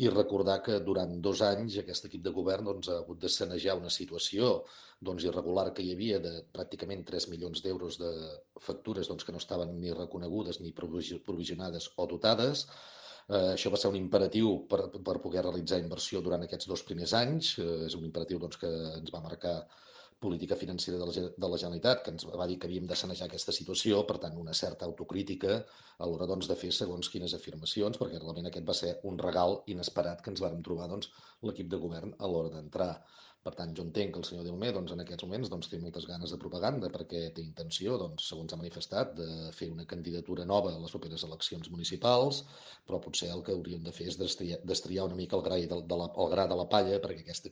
i recordar que durant 2 anys aquest equip de govern ha hagut de sanejar una situació irregular que hi havia de pràcticament 3 milions d'euros de factures que no estaven ni reconegudes ni provisionades o dotades. Això va ser un imperatiu per poder realitzar inversió durant aquests 2 primers anys. És un imperatiu que ens va marcar política financera de la Generalitat, que ens va dir que havíem de sanejar aquesta situació, per tant, una certa autocrítica a l'hora de fer segons quines afirmacions, perquè realment aquest va ser un regal inesperat que ens vàrem trobar l'equip de govern a l'hora d'entrar. Per tant, jo entenc que el senyor Dilmé en aquests moments té moltes ganes de propaganda perquè té intenció, segons ha manifestat, de fer una candidatura nova a les properes eleccions municipals, però potser el que hauríem de fer és destriar una mica el gra de la palla perquè aquest